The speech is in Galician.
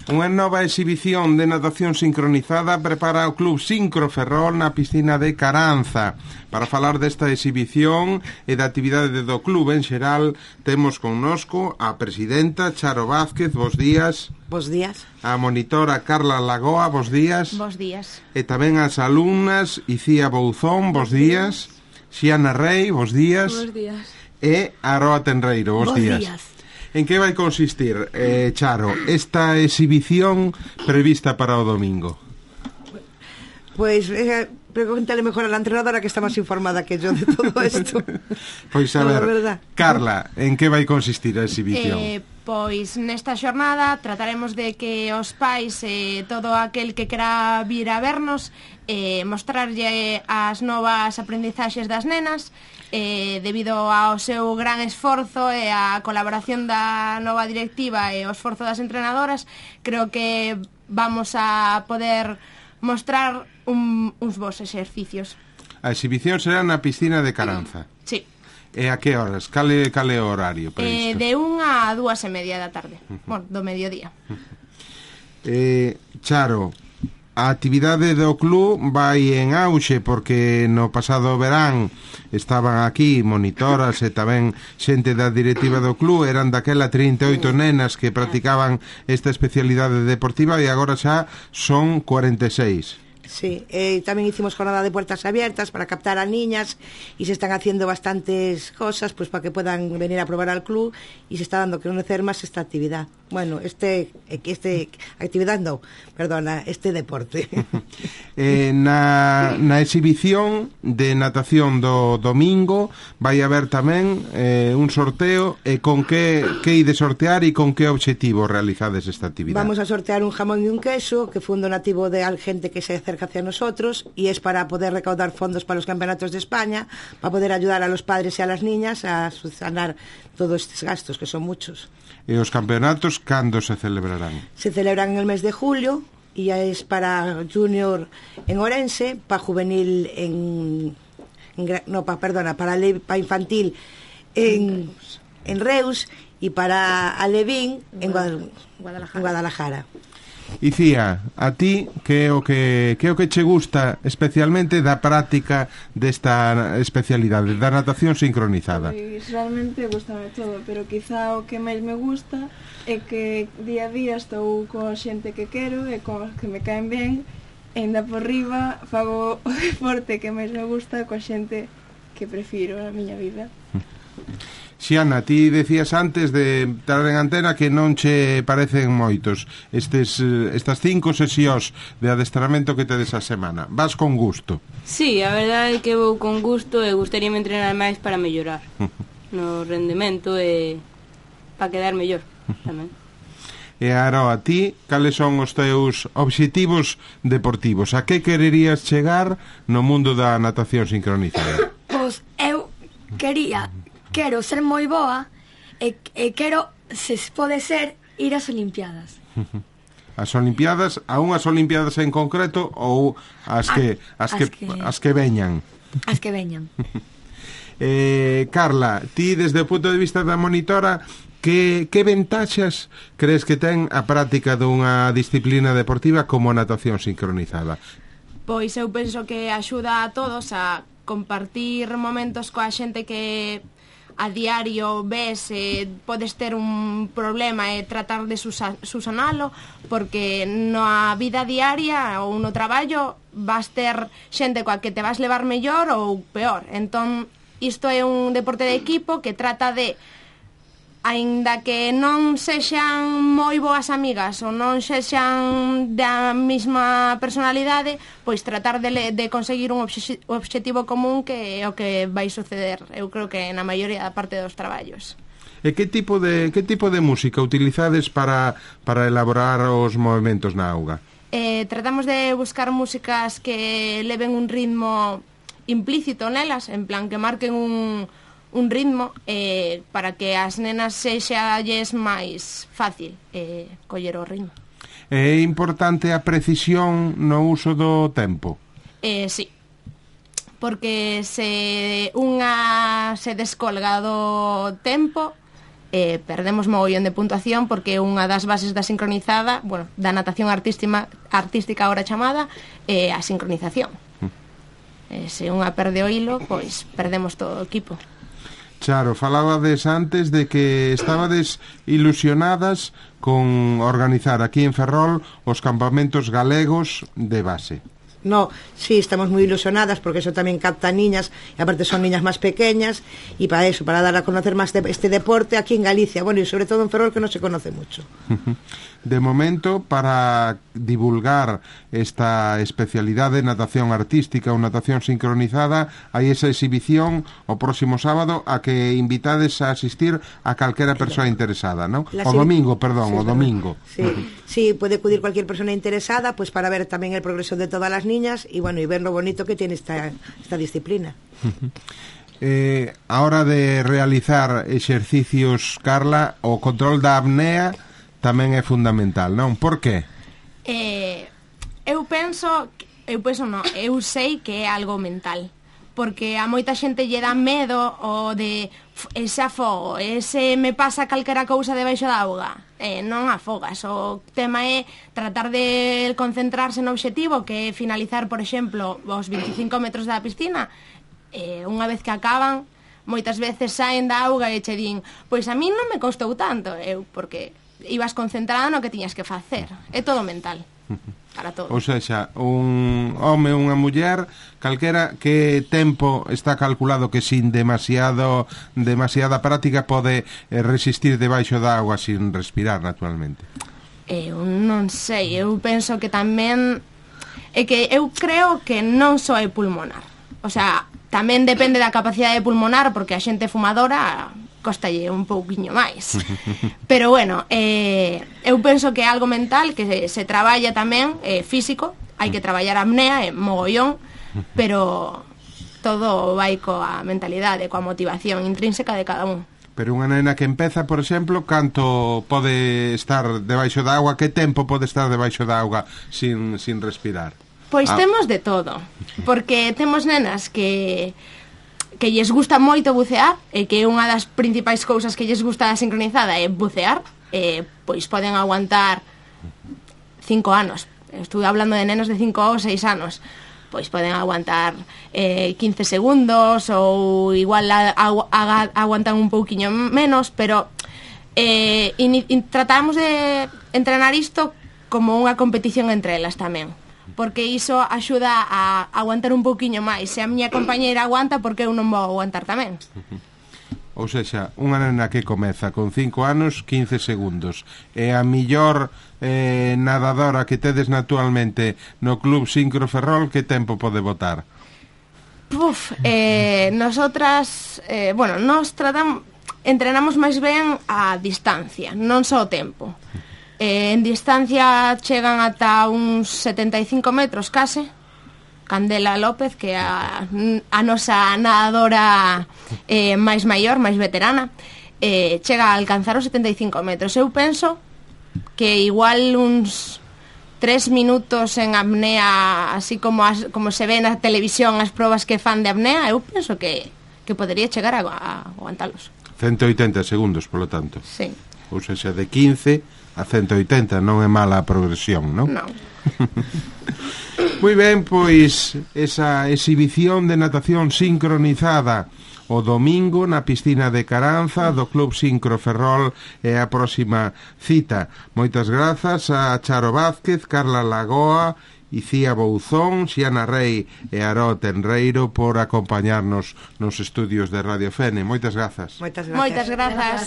Unha nova exhibición de natación sincronizada prepara o Club Sincro Ferrol na piscina de Caranza. Para falar desta exhibición e da actividade do club en xeral, temos connosco a presidenta Charo Vázquez, bos días. Bos días. A monitora Carla Lagoa, bos días. Bos días. E tamén as alumnas Icía Bouzón, bos días. Xiana Rei, bos días. Bos días. E Aroa Tenreiro, bos días. En que vai consistir, Charo, esta exhibición prevista para o domingo? Pois, pregúntale mejor a la entrenadora, que está máis informada que yo de todo isto. Pois a ver, Carla, en que vai consistir a exhibición? Pois nesta xornada trataremos de que os pais e todo aquel que quera vir a vernos mostrarlle as novas aprendizaxes das nenas, debido ao seu gran esforzo e a colaboración da nova directiva e o esforzo das entrenadoras. Creo que vamos a poder mostrar uns bons exercicios. A exhibición será na piscina de Caranza. Sí. E a que horas? Cale o horario previsto? De 1 a 2:30 da tarde, do mediodía. Charo, a actividade do club vai en auxe, porque no pasado verán estaban aquí monitoras e tamén xente da directiva do club. Eran daquela 38 nenas que practicaban esta especialidade deportiva e agora xa son 46. Sí, tamén hicimos jornada de puertas abiertas para captar a niñas, y se están haciendo bastantes cosas pues para que puedan venir a probar al club, y se está dando a conocer más esta actividad. Bueno, este deporte. Na exhibición de natación do domingo vai haber tamén un sorteo, e con que ide sortear e con que objetivo realizades esta actividade? Vamos a sortear un jamón y un queso, que fue un donativo de gente que se acerca hacia nosotros, y es para poder recaudar fondos para los campeonatos de España, para poder ayudar a los padres y a las niñas a subsanar todos estos gastos, que son muchos. E os campeonatos cando se celebrarán? Se celebran en el mes de julio, y ya es para junior en Orense, para juvenil para infantil en Reus, y para alevín en Guadalajara. Icía, a ti que é o que che gusta especialmente da práctica desta especialidade da natación sincronizada? Pois realmente gustame todo, pero quizá o que máis me gusta é que día a día estou coa xente que quero e coa que me caen ben, e ainda por riba fago o deporte que máis me gusta coa xente que prefiro na miña vida. Xiana, ti decías antes de estar en antena que non che parecen moitos estas 5 sesións de adestramento que tedes a semana. Vas con gusto? Sí, a verdade é que vou con gusto, e gustaríame entrenar máis para mellorar no rendemento e para quedar mellor tamén. E Aroa, ti, cales son os teus obxectivos deportivos? A que quererías chegar no mundo da natación sincronizada? Pois eu quero ser moi boa, e quero, se pode ser, ir ás Olimpiadas. As Olimpiadas, a unhas Olimpiadas en concreto, ou as que veñan? As que veñan. Carla, ti desde o punto de vista da monitora, que ventaxas crees que ten a práctica dunha disciplina deportiva como a natación sincronizada? Pois eu penso que axuda a todos a compartir momentos coa xente que a diario ves, podes ter un problema e tratar de susanalo, porque na vida diaria ou no traballo vas ter xente coa que te vas levar mellor ou peor. Entón, isto é un deporte de equipo que trata de, aínda que non sexan moi boas amigas ou non sexan da mesma personalidade, pois tratar de conseguir un obxectivo común, que é o que vai suceder, eu creo que na maioría da parte dos traballos. E que tipo de música utilizades para elaborar os movimentos na auga? Tratamos de buscar músicas que leven un ritmo implícito nelas, en plan que marquen un ritmo, para que as nenas sexalles máis fácil coller o ritmo. É importante a precisión no uso do tempo? Sí, porque se unha se descolga do tempo, perdemos mogollón de puntuación porque unha das bases da sincronizada, bueno, da natación artística ahora chamada, a sincronización. Se unha perde o hilo, pois perdemos todo o equipo. Charo, falabades antes de que estabades ilusionadas con organizar aquí en Ferrol os campamentos galegos de base. No, sí, estamos muy ilusionadas porque eso también capta niñas y aparte son niñas más pequeñas y para eso, para dar a conocer más este deporte aquí en Galicia, bueno, y sobre todo en Ferrol que no se conoce mucho. De momento, para divulgar esta especialidad de natación artística ou natación sincronizada, hai esa exhibición o próximo sábado a que invitades a asistir a calquera persoa interesada, ¿no? O domingo, perdón, o domingo. Sí, sí, puede acudir cualquier persona interesada pues para ver también el progreso de todas las niñas y bueno, y ver lo bonito que tiene esta disciplina. A hora de realizar exercicios, Carla, o control da apnea tamén é fundamental, non? Por qué? Eu sei que é algo mental, porque a moita xente lle dá medo o de ese afogo, ese me pasa calquera cousa debaixo da auga. Non afogas, o tema é tratar de concentrarse no obxectivo, que é finalizar, por exemplo, os 25 metros da piscina. Unha vez que acaban, moitas veces saen da auga e che din, pois a mí non me costou tanto, porque ibas concentrado no que tiñas que facer. É todo mental. Para todo. Ou seja, un home ou unha muller, calquera, que tempo está calculado que sin demasiada práctica pode resistir debaixo da auga sin respirar, naturalmente? Eu non sei, eu penso que tamén é que eu creo que non só é pulmonar. O sea, tamén depende da capacidade pulmonar, porque a xente fumadora costalle un pouquiño máis. Pero bueno, eu penso que é algo mental, que se traballa tamén, físico, hai que traballar a apnea, mogollón, pero todo vai coa mentalidade, coa motivación intrínseca de cada un. Pero unha nena que empeza, por exemplo, canto pode estar debaixo da auga, que tempo pode estar debaixo da auga sin respirar? Pois temos de todo, porque temos nenas que lles gusta moito bucear e que unha das principais cousas que lles gusta da sincronizada é bucear, pois poden aguantar 5 anos. Estuve hablando de nenos de 5 ou 6 anos. Pois poden aguantar 15 segundos ou igual aguantan un pouquiño menos, pero tratamos de entrenar isto como unha competición entre elas tamén, porque iso axuda a aguantar un pouquiño máis. Se a miña compañeira aguanta, porque eu non vou aguantar tamén. Ou seja, unha nena que comeza con 5 anos, 15 segundos. E a millor nadadora que tedes actualmente no Club Sincro Ferrol, que tempo pode botar? Nosotras, nos entrenamos máis ben a distancia, non só o tempo. En distancia chegan ata uns 75 metros case. Candela López, que é a nosa nadadora máis maior, máis veterana, chega a alcanzar os 75 metros. Eu penso que igual uns 3 minutos en apnea, así como se ve na televisión as probas que fan de apnea, eu penso que podería chegar a aguantalos. 180 segundos, polo tanto. Sí. Ou seja, de 15 a 180 non é mala a progresión, non? Non. Moi ben, pois esa exhibición de natación sincronizada o domingo na piscina de Caranza do Club Sincro Ferrol é a próxima cita. Moitas grazas a Charo Vázquez, Carla Lagoa, Icía Bouzón, Xiana Rei e Aró Tenreiro por acompañarnos nos estudios de Radio Fene. Moitas grazas. Moitas grazas. Moitas grazas.